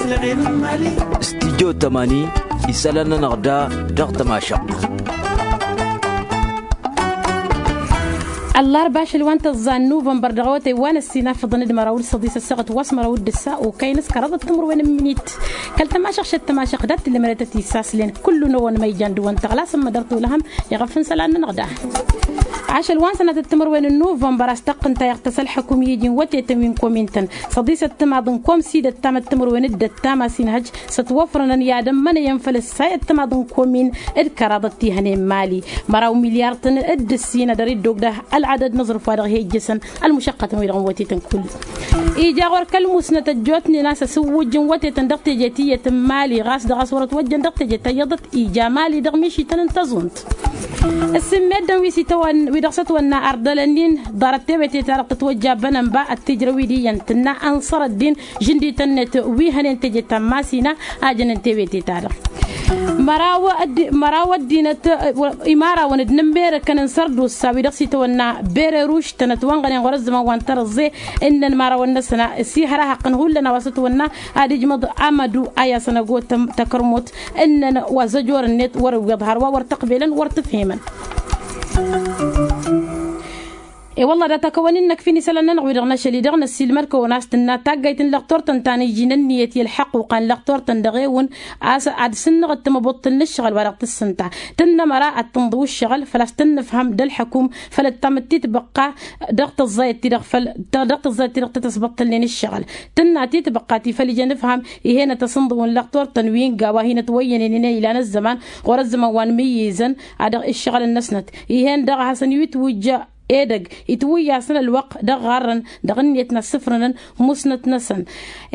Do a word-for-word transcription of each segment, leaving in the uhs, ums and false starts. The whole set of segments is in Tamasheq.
Studyo tămani isălan-nănăɣ da dăɣ-tămašăɣt. Ăllarba ašăl wa n-tăẓẓa n-nuvănbăr dăɣ-awătay wa n-ăssinafăḍăn d-măraw d-săḍisăt săɣăt wa s-măraw d-ǝssa okăyăn s-kăraḍăt timǝrwen n-minit. Kăl-tămašăɣ šăt tămašăɣ dat-tǝllămănătăt isaslen kullu n-ăwăn măyjan d-ăwăn tăɣlasăm mădăr tolăhăm iɣăf n-isălan-nănăɣ da. Ašăl wa n-sănatăt timǝrwen n-nuvănbăr a-s tăqqǝnta iɣtăs ălxăkum i-iji n-wătetăn wi n-komin-tăn săḍisăt timaḍ n-kom s-idăt tamăt timǝrwen d-ăttam a-s inhăj s-ătwăfrănăn i-ad-ămmănăyăn făll-ǝssay ăttămaḍ n-komin d-kăraḍăt ti hănen mali. Măraw milyar-tăn d-ǝssin ad-dăr-dd-ogdăh ălɣadăd n-aẓrǝf wa dăɣ-hi-ǝjjǝsăn ălmušăqqătăn-wi-dăɣ n-wătetăn kull. Ija ɣur-kăl-musnăt ăjjootnen a-s asǝwwǝjj n-wătetăn dăɣ-teje ti iyyăt n-mali ɣas dăɣ-a-s wăr-ătwăjjăn dăɣ-teje ta iyyăḍăt ija mali dăɣ-mišităn n-tăẓunt. Ǝssǝmmeddăn wi s-itawăn wi dăɣ-s ătwănna ardălăn-in ḍarăt tewete-ta-dăɣ tătwăjja bănănba ăttijrăw-wi d-iyyăn tǝnna ănṣăr ăddin žǝndităn-net wi hănen teje ta n-masina a jănen tewete-ta-dăɣ. Măraw ăddinăt imarawăn d-inǝmmerăkăn n-sărdusa wi dăɣ-s itawănna bereruš tănătwănɣănen ɣur-ăzzăman wa n-tărăẓẓe ǝnnăn imarawăn-năsăn s-ihăr ahăqqăn hullan a-wa s-ătwănna ad-ijmăḍ amădu a i-asăn ăgotăm takărmut ǝnnăn wa zăjor-net wăr-ǝwweḍ hărwa wăr tăqbelăn wăr tǝfhemăn. E-wălla dat-akăwăn-in-năkf-in isălan-nănăɣ wi-dăɣ n-ašăl-i-dăɣ năssiilmăd-kăwăn a-s tǝnna taggayt n-lăqtor-tăn ta n-iji n-ǝnniyăt i-ălḥăqquqa n-lăqtor-tăn dăɣ-ewǝn a-s ad-sǝnnăɣ d-tamăbuṭṭǝl n-ǝššăɣǝl wa dăɣ-tǝssǝnta tǝnnă măra ad-tǝnḍǝw ǝššăɣǝl făl-a-s tǝnnǝfhăm d-ălḥăkum făll-ăttam d-titbăqqa dăɣ-tăẓẓayăt-ti-dăɣ făll-dăɣ-tăẓẓayăt-ti-dăɣ tăt-ăsbăṭṭălnen ǝššăɣǝl tǝnna titbăqqa ti făll-ijăn ǝfham ih'-en ad-tăsǝnḍǝw n-lăqtor-tăn wi n-gawa hin-ătwăyyănen inăylan ăzzăman ɣur-ăzzăman wa n-imǝyyǝzăn a dăɣ-ǝššăɣǝl-năsnăt ih'-en dăɣ-a hasăn-wi-twǝjja edăgg itwǝyyasăn ălwăqq dăɣ-ɣarrăn dăɣ-ǝnniyăt n-assǝfrănăn musnăt-năsăn.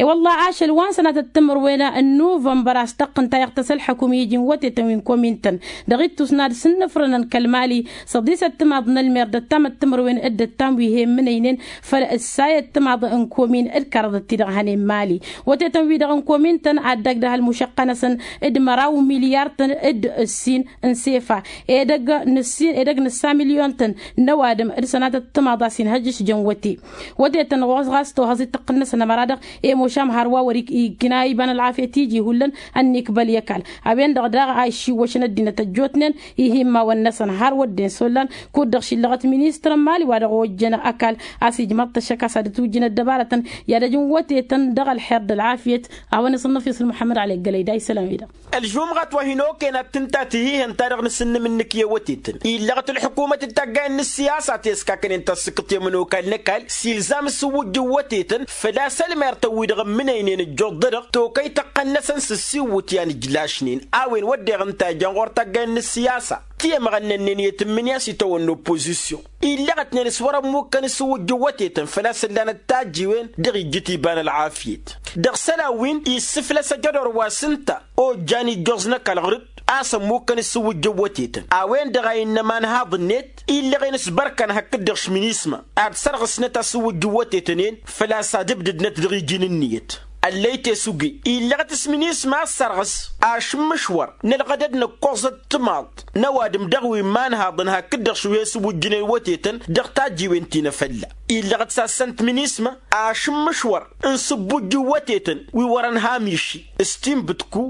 I-wălla ašăl wa n-sănatăt timǝrwen n-nuvănbăr a-s tăqqǝnta iɣtăs ălḥăkum i-iji n-wătetăn wi n-komin-tăn dăɣ-ittus n-ad-sǝnnǝfrănăn kăl-mali săḍisăt timaḍ n-ălmer d-ăttam ăttămărwen d-ăttam wi he-ǝmmǝnăynen făll-ǝssayăt timaḍ n-komin d-kăraḍăt-ti-dăɣ hănen mali. Wătetăn-wi-dăɣ n-komin-tăn ad-dăgg dăɣ-ălmušăqqa-năsăn d-măraw milyar-tăn d-ǝssin n-sefa edăgg n-ǝssin edăgg n-ǝssa milyon-tăn n-ăwadǝm d-sănatăt timaḍ a-s inhăjjǝš jăn wăte. Wătetăn ɣas ɣas tohăẓ-i tăqqǝn-năsăn ămăra-dăɣ emošam hărwa wăr-i ikna iba n-ălɣafyăt iji hullan ănnikbăl i-ăkall a-wen-dăɣ daɣ a iššiwwăšăn ăddinăt ăjjootnen ih' immawăn-năsăn har wădden s-ollan kud-dăɣ šillăɣăt ministăr n-mali wa dăɣ-ojjăn ăkall a-s ijmăḍ-t ăššăk a-s ad-ǝtwǝjjǝn ăddăbarătăn i-ad-ăj n-wătetăn dăɣ-ălxer d-ălɣafyăt. A-wa n-asǝnnăf isǝl muḥămmăd ălay gălăy da isălan-wi-dăɣ. Ălžumɣat wa hin-okăyăn ad-tǝnta tihihănt-ta-dăɣ n-asǝnnǝm-nǝk i-wătetăn illăɣăt ălḥukumăt d-taggayăn n-ăssiyasa ti ăskakănen tasǝkkǝt i-ămănokal n-ăkall s-ilzam s-ǝwwǝjj n-wătetăn făl-a-s ălmer-tăn-wi-dăɣ ǝmmǝnăynen ăjjuḍ-dăɣ tokăy tăqqăn-năsăn s-ǝssiwwǝt i-anǝjlašnen a-wen wădden ǝnta ijăn ɣur-taggayăn n-ăssiyasa ti ămɣănnănnen i-tǝmmǝnǝya s-itawănna oppozisyon. Illăɣătnen s-wăr-ămmukkăn s-ǝwwǝjj n-wătetăn făl-a-s ǝllanăt tajjiwen dăɣ-ijjǝt iba n-ălɣafyăt dăɣ-isălan wi n-issǝflăs ajădor wa s-ǝnta ojjan ijjoẓ n-ăkall ɣur-dd a-s ămmukkăn s-ǝwwǝjj n-wătetăn a-wen-dăɣ a innă imanhaḍ-net illăɣen s-bărkăn hakd-dăɣ š-minisma ad-sărɣǝsnăt asǝwwǝjj n-wătetăn-en făl-a-s ad-ǝbdǝdnăt dăɣ-iji n-ǝnniyăt. Ăllăy tesuge illăɣăt s-minisma a ăssărɣǝs ašǝmmǝšwăr n-ălɣădăd n-ǝkkoẓăt timaḍt n-ăwadǝm dăɣ-wi n-imanhaḍăn hakd-dăɣ šuhe s-ǝwwǝjjǝnen wătetăn dăɣ-tajjiwen ti n-afălla. Illăɣăt s-assăn-t minisma ašǝmmǝšwăr n-sǝbbujj n-wătetăn wi wărăn hamiši s-tinbǝtku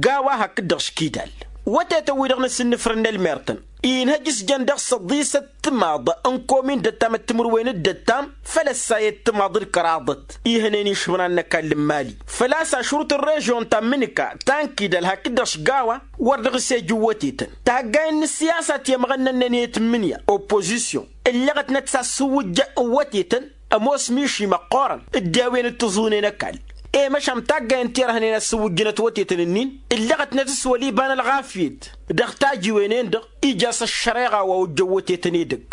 gawa hakd-dăɣ škidal. Wătetăn-wi-dăɣ n-asǝnnǝfrǝn n-ălmer-tăn inhăj s-jăn dăɣ-săḍisăt timaḍ n-komin d-ăttam d-timǝrwen d-ăttam făll-ăssayăt timaḍ d-kăraḍăt ihănen išmăran n-ăkall n-mali făl-a-s ašrut n-režyon ta n-imǝnǝka ta n-kidal hakd-dăɣ šgawa wăr dăɣ-s ejǝn wătetăn. Taggayăn n-ăssiyasa ti ămɣănnănnen i-tǝmmǝnǝya oppozisyon ǝllăɣătnăt s-asǝwwǝjjăn n-wătetăn ămoos miši măqqoorăn dd-e-a-wen dd-tǝẓunen ăkall. I-măšan taggayăn ti ărhănen asǝwwǝjjănăt wătetăn-ǝnnin ǝllăɣătnăt s-wăl' iba n-ălɣafyăt dăɣ-tajiwen-en-dăɣ ija a-s ăššăreɣa wa ojjăn wătetăn edăgg.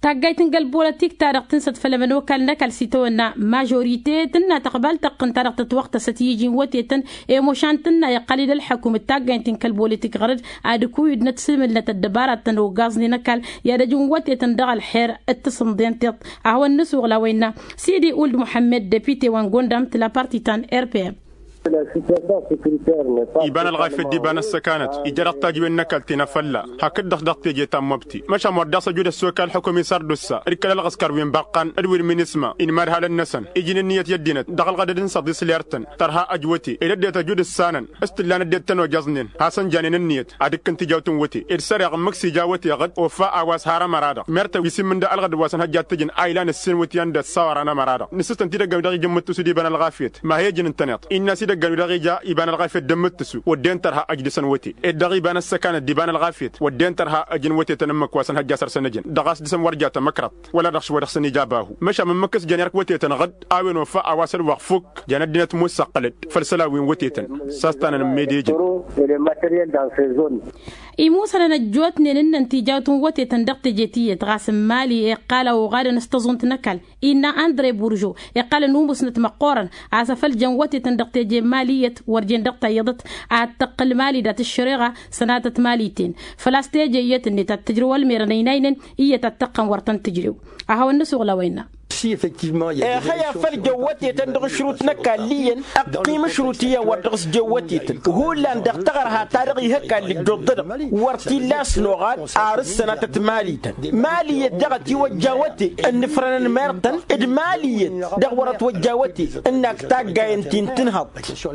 Taggayt n-kăl-bolătik-ta-dăɣ tǝnsăt făll-ămănokal n-ăkall s-itawănna mažorite tǝnna tăqbal tăqqǝn-ta-dăɣ tătwăɣtăsăt i-iji n-wătetăn i-măšan tǝnna iqqăl-dd ălḥăkum d-taggayt n-kăl-bolătik ɣăr-dd ad-ǝkuyǝdnăt s-imǝlnăt ăddăbaratăn ogaẓnen ăkall i-ad-ăj n-wătetăn dăɣ-ălxer d-tasǝnḍen tiṭṭ ad-hawăn-nǝsuɣǝl a-wa innă sidi uld muḥămmed depite wa n-gondam tǝla parti ta n-rpm. Iba n-ălɣafyăt d-iba n-ăssăkanăt ija dăɣ-tajǝwen n-ăkall ti n-afălla hakd-dăɣ dăɣ-teje ta n-mobti. Măšan wăr daɣ s-ăjud ăssokal ălḥukum isardussa d-kăl-ălɣăskăr wi n-băqqan d-wi n-minisma inmadhalăn-năsăn ijin ǝnniyăt i-ăddinăt dăɣ-ălɣădăd n-săḍis lertăn. Tărha ăjwăte ed ăddinăt ăjud ǝssanăn s-t-ǝllan ăddinăt tăn-ojăẓnen hasăn-janen ǝnniyăt ad-ǝkkǝn tijawt n-wăte d-săreɣ ǝmmǝk s-ija wăteɣ-dd ofa a-wa s-har ămăra-dăɣ mertăw isǝmmǝn d-ălɣădăd wa s-ănhăjjat tǝjǝn a ilan ǝssin wătyan d-ăssawăra n-ămăra-dăɣ. Nǝssǝstăn-t-dd ăggan wi dăɣ-ija ǝmmǝttǝsu d-iba n-ălɣafyăt ma he-ǝjǝn ǝntăneḍ innă a-s idăggan wi dăɣ-ija iba n-ălɣafyăt d-ǝmmǝttǝsu wădden tărha ăj dăɣ-săn wăte ed dăɣ-iba n-ăssăkanăt d-iba n-ălɣafyăt wădden tărha ăj n-wătetăn ǝmmǝk wa s-ănhăjja săr-săn ǝjǝn dăɣ-a-s dăɣ-săn wăr ja tamăkrăḍt wăla dăɣ-s wa dăɣ-săn ija abahu. Măšan ǝmmǝk s-jăn erk wătetăn ɣǝd a-wen ofa a-wa s-ălwăɣ fukk. Jan ăddinăt mussăqqălăd făll-isălan wi n-wătetăn s-a-s tanăn n-mede ijăn. Imusănăn ăjjootnen ǝnnăn tijawt n-wătetăn dăɣ-teje tiyyăt ɣas n-mali iqqal a uɣadăn s-tăẓunt n-ăkall innă andre burjo iqqal ănumusnăt măqqoorăn a-s afăl jăn wătetăn dăɣ-teje n-mali iyyăt wăr jen dăɣ-tayyăḍăt ad-tăqqǝl mali dat-ăššăreɣa. Sănatăt mali-ten făl-a-s teje iyyăt-net ad-tǝjrǝw ălmerăn ăynaynen iyyăt ad-tăqqăn wăr tăn-tǝjrew. A hawăn-nǝs uɣlaw ăynna. Ehăy a făl jăn wătetăn dăɣ-ašrut n-ăkall iyyăn ăqqim ašrut iyyăn wăr dăɣ-s jăn wătetăn hullan dăɣ-taɣărha ta dăɣ-ih ăkall ǝjjuḍ-dăɣ wăr t-illa a-s noɣad. Ar ǝssănatăt mali-tăn mali iyyăt daɣ ătiwăjja wăte ǝnnǝfrănăn mertăn d-mali iyyăt dăɣ-wăr ătwăjja wăte ǝnnak taggayen ti n-tǝnhăḍ.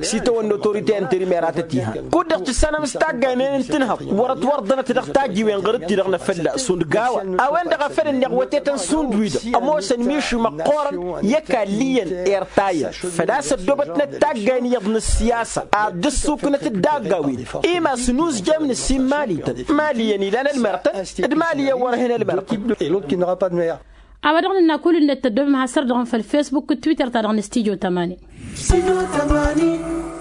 S-itawănna otorite interimer a tăt-ihan kud-dăɣ tǝssanăm s-taggayen-en n-tǝnhăḍ wăr-ătwărḍănăt dăɣ-tajiwen ɣur-dd-ti-dăɣ n-afălla šund gawa. A-wen-dăɣ a făl ǝnneɣ wătetăn šund-wi-dăɣ ămoosăn mišǝw măqqoorăn i-ăkall iyyăn. Irtayăn făl-a-s ăddoobătnăt taggayen iyyăḍ n-ǝssiyasa ad-dd-ǝssuknăt d-daggawen imas n-uzjam n-ǝssin mali-tăn mali iyyăn ilan ălmărtăn d-mali iyyăn wăr-hin ălmărtăn. A-wa dăɣ-nǝnna kull-net tăddoobem has-săr-dăɣ n-făll-fesbuk d-twitter-ta-dăɣ n-studyo tămani.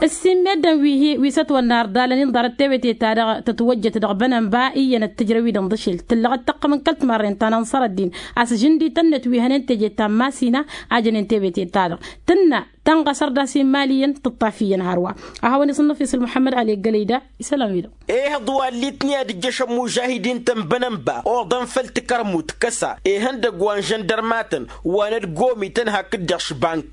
Ǝssin meddǝn wi s-ătwănna ărdalăn inḍarăt tewăte-ta-dăɣ tătwăjjăt dăɣ-bănănba iyyăn ăttǝjrăw-i-dăɣ n-dăšel tǝllăɣ d-tăqqăm n-kăl-timarren ta n-ănṣăr ăddin a-s žǝndi tănnet wi hănen teje ta n-masina a jănen tewăte-ta-dăɣ tǝnna tănɣăsăr d-asin mali iyyăn tǝṭṭaf iyyăn hărwa. A hawăn-iṣǝnnăf isǝl muḥămmăd ali ăggălăy da isălan-wi-dăɣ. Ehăḍ wa ăllitni ad-ǝjjăšăn mužahidin-tăn bănănba oḍăn făll-tikărmut kăsa ihăndăgg wa n-žăndărmatăn wa n-ălgomităn hakd-dăɣ š-bank.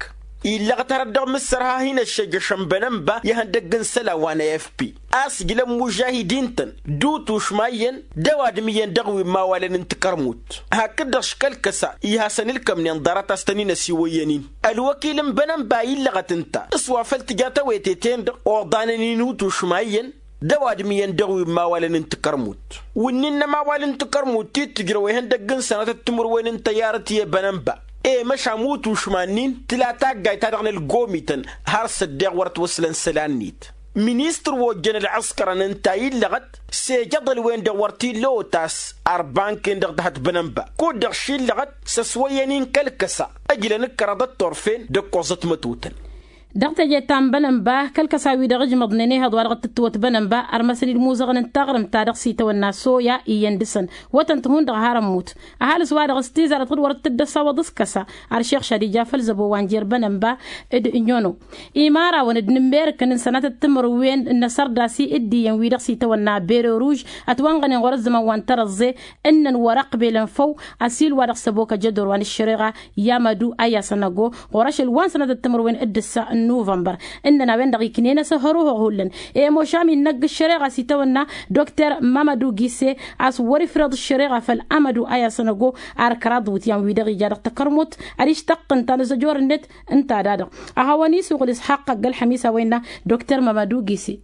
Illăɣăt hărăt dăɣ-mǝssărha hin-ăššejăšăn bănănba i-ihăndăgg n-isălan wa n-afp a-s ǝjlăn mužahidin-tăn d-utušma iyyăn d-ăwadǝm iyyăn dăɣ-wi n-imawalăn n-tikărmut hakd-dăɣ š-kăl-kăsa ihasăn ǝlkămnen ḍarăt a-s tăn-in-ăsiwăyyăn-in. Ălwăkil n-bănănba illăɣăt ǝnta s-wa făl tǝja tawăyte-ten-dăɣ oḍanăn-in utušma iyyăn d-ăwadǝm iyyăn dăɣ-wi n-imawalăn n-tikărmut. Wǝnnin n-ămawal n-tikărmut ti t-ǝjrăw ihăndăgg n-sănatăt timǝrwen n-tăyyarăt i-bănănba i-măšan utušma-nin tǝla taggayt-ta-dăɣ n-ălgomităn har s-ăddeɣ wăr ătwăslăn isălan-net. Ministăr wa ojjăn ălɣăskărăn ǝnta illăɣăt s-ejăḍăl-wen-dăɣ wăr t-illa otas. Ar bank-en-dăɣ dăhăt bănănba kud-dăɣ šillăɣăt s-ăswăyyăn-in kăl-kăsa ǝjlăn ǝkkăraḍăt turfen d-ǝkkoẓăt mătotăn. Dăɣ-teje ta n-bănănba kăl-kăsa-wi-dăɣ ǝjmăḍnen ehăḍ wa dăɣ-tǝttǝwăt bănănba ărmăsăn-dd imuzăɣăn n-taɣrǝmt ta dăɣ-s-itawănna soya iyyăn dăɣ-săn wătăn-t hundăɣ har ămmut. Ăhalǝs-wa-dăɣ s-tizarăt ɣǝd wăr t-dd-ăsawăḍ s-kăsa. Ar šixša d-ija făll-zăbo wa n-jer bănănba d-inyăno imarawăn d-inǝmmerǝkăn n-sănatăt timǝrwen n-asărdas-i d-iyyăn wi-dăɣ s-itawănna bere ruž ătwănɣănen ɣur-ăzzăman wa n-tărăẓẓe ǝnnăn wăr-ăqbelăn făw. Ăsil wa dăɣ-s ăbok ăjădor wa n-ăššăreɣa i-amădu a i-asănăgo ɣur-ašăl wa n-sănatăt timǝrwen d-ǝssa n-nuvănbăr. Ǝnnăn a-wen-dăɣ iknen-as ăhăruhăɣ hullan i-mošam innăgg ăššăreɣa s-itawănna dokter mamădu gise a-s wăr-ifrăḍ ăššăreɣa făll-amădu a i-asănăgo. Ar kăraḍ iwǝtyan-wi-dăɣ ija dăɣ-takărmut ad-ištaqqǝn tanăzăjor-net ǝnta da-dăɣ a hawăn-isuɣǝl isxaqq ăgg-ălxămis a-wa innă dokter mamădu gise.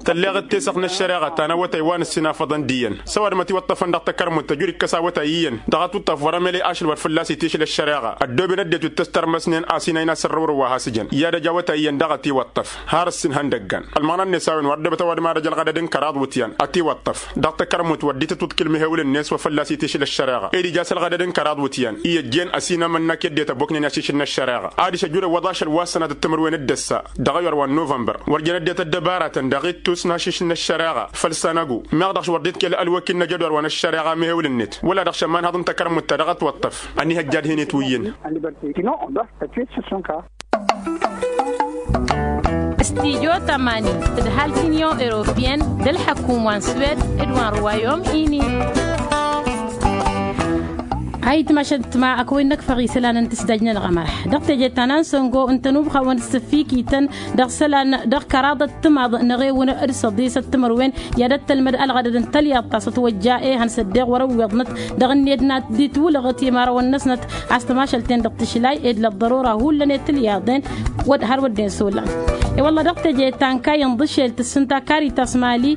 Tălleɣ d-tesăɣt n-ăššăreɣa ta n-awătay wa n-ǝssin afăḍăn d-iyyăn s-ăwadǝm ătiwăṭṭăfăn dăɣ-takărmut tăjud ikkăs awătay iyyăn dăɣ-atuṭṭăf wăr-emăle ašăl wăr fălla-s itišǝl ăššăreɣa. Ăddooben ăddinăt wi t-ăstărmăsnen a-s inayna s-ărrăwrǝw wa has-ǝjăn i-ad-ăj awătay iyyăn daɣ ătiwăṭṭăf har ǝssin ihăndăggan ălmăɣna-net a-wen wăr ăddoobt ăwadǝm ad-ăj ălɣădăd n-kăraḍ wǝtyan ătiwăṭṭăf dăɣ-takărmut wăr dd-tǝtwǝḍkǝl mihewǝl-net wa fălla-s itišǝl ăššăreɣa ed ija s-ălɣădăd n-kăraḍ wǝtyan i-ăjjeen ăsinamănna k-e-dd-e-tăboknen i-ašišǝl n-ăššăreɣa. Adiš ăjud ăwwăḍ ašăl wa s-sănatăt timǝrwen d-ăssa dăɣ-ayyor wa n-nuvănbăr wăr jăn ăddinăt ăddăbaratăn dăɣ-ittus n-ašišǝl n-ăššăreɣa făll-sănăgu meɣ dăɣ-s wăr dd-itkăl ălwăkil n-ajădor wa n-ăššăreɣa mihewǝl-net wăla dăɣ-šămman haḍ n-takărmut ta dăɣ-ătwăṭṭăf. Ănihăjja ad-hin-itwǝyyǝn. Studyo tămani tǝdhal t-inyon europeyăn d-ălḥăkum wa n-swed d-wa n-ruwayom ini. Ayǝtmašăt ma ăkăwăy n-ăkfăɣ isălan n-tǝsdaj-nănăɣ ămărh dăɣ-teje ta n-ansăngo ǝntănubxawăn s-ǝffikităn dăɣ-isălan dăɣ-kăraḍăt timaḍ n-eɣewăn d-săḍisăt timărwen i-ad-ăttălmăd ălɣădăd n-tălyaḍt ta s-ătwăjja ehăn s-ăddeɣ wăr-ăwwiḍnăt dăɣ-ǝnniyăt n-ad-dd-itwǝlăɣăt i-imărawăn-năsnăt a-s tămašăl-ten-dăɣ tǝšlay ed lăḍḍărora hullan i-tǝlyaḍen wăr-dd-insulăn. I-wălla dăɣ-teje ta n-kayy n-iḍǝšel tǝssǝnta karitas mali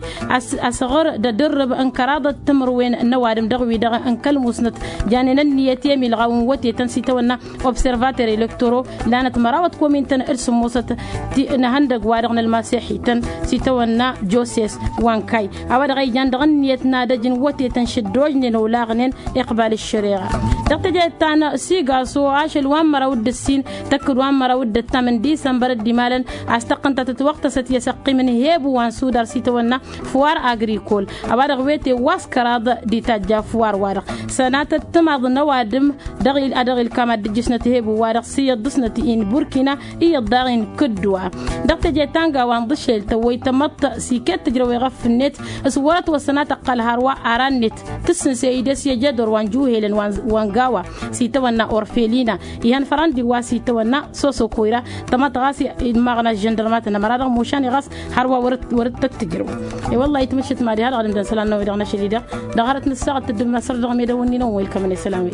a-s ăɣǝr d-adǝrrǝb n-kăraḍăt timărwen n-ăwadǝm dăɣ-wi-dăɣ n-kăl-musnăt janen ǝnniyăt i-emilɣaw n-wătetăn s-itawănna observater elektoro lanăt mărawăt komintăn d-sǝmmosăt ti n-ehăndăg-wa-dăɣ n-ălmasexităn s-itawănna joses wa n-kayy a-wa-dăɣ a ijan dăɣ-ǝnniyăt n-ad-ăj n-wătetăn šăddožnen olaɣnen iqbal ǝššăreɣa. Dăɣ-teje ta n-sigaso ašăl wa n-măraw d-ǝssin tăkk-dd wa n-măraw d-ǝttam n-disămbăr dd-imalăn a-s tăqqǝntăt ătwăɣtăsăt i-asăqqim n-hebu wa n-sudar s-itawănna fuwar agrikol a-wa-dăɣ wete wa s-kăraḍ d-itajja fuwar-wa-dăɣ sănatăt timaḍ n-ăwadǝm dăɣ-il a dăɣ-ilkam ad-dd-ǝjjǝsnăt hebu-wa-dăɣ s-iyyăḍ dăɣ-snăt-i n-burkina iyyăḍ daɣ-i n-kǝdduwa. Dăɣ-teje ta n-gawa n-iḍǝšel tăwwăy tamăḍt s-iket tǝjrăw iɣăf ǝnnet s-wăr-ătwăssăn a tăqqăl hărwa ara-net tǝssǝnse idăs i-ejădor wa n-juhelăn wa n-gawa s-itawănna orfelina ihăn fărăndi wa s-itawănna soso koyra tamăḍt ɣas imaɣna ăžžăndărmatăn ămăra dăɣ-mušan i-ɣas hărwa wăr-dd tăt-tǝjrăw. I-wălla-i tǝmǝššǝt mad-iha dăɣ-ad-ǝmdăn isălan-năwăn-i-dăɣ n-ašăl-i-dăɣ dăɣ-hărăt n-ǝssaɣăt tǝddǝm n-asăr dăɣ-medăwăn-nin-ăwwăy ǝlkămăn isălan-wi.